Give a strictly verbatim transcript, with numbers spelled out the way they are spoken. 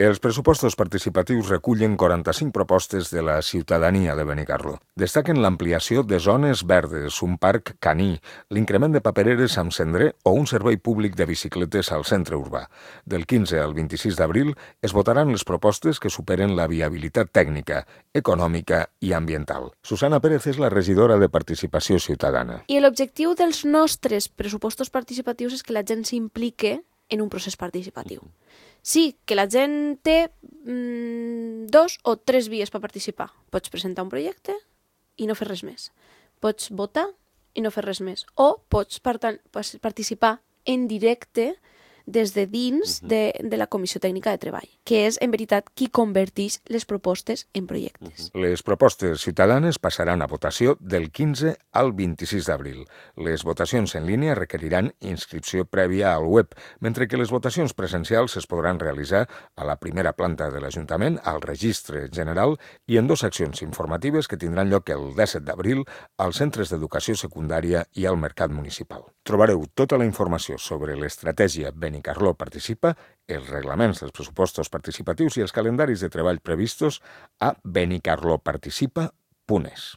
Els pressupostos participatius recullen quaranta-cinc propostes de la ciutadania de Benicarló. Destaquen l'ampliació de zones verdes, un parc caní, l'increment de papereres amb cendrer o un servei públic de bicicletes al centre urbà. Del quinze al vint-i-sis d'abril es votaran les propostes que superen la viabilitat tècnica, econòmica i ambiental. Susana Pérez és la regidora de Participació Ciutadana. I l'objectiu dels nostres pressupostos participatius és que la gent s'implique en un procés participatiu. Sí, que la gent té mm, dos o tres vies per participar. Pots presentar un projecte i no fer res més. Pots votar i no fer res més. O pots participar en directe des de dins de, de la Comissió Tècnica de Treball, que és, en veritat, qui converteix les propostes en projectes. Les propostes ciutadanes passaran a votació del quinze al vint-i-sis d'abril. Les votacions en línia requeriran inscripció prèvia al web, mentre que les votacions presencials es podran realitzar a la primera planta de l'Ajuntament, al Registre General i en dues accions informatives que tindran lloc el disset d'abril als centres d'educació secundària i al Mercat Municipal. Trobareu tota la informació sobre l'estratègia Benicarló Participa, els reglaments dels pressupostos participatius i els calendaris de treball previstos a benicarloparticipa punt es.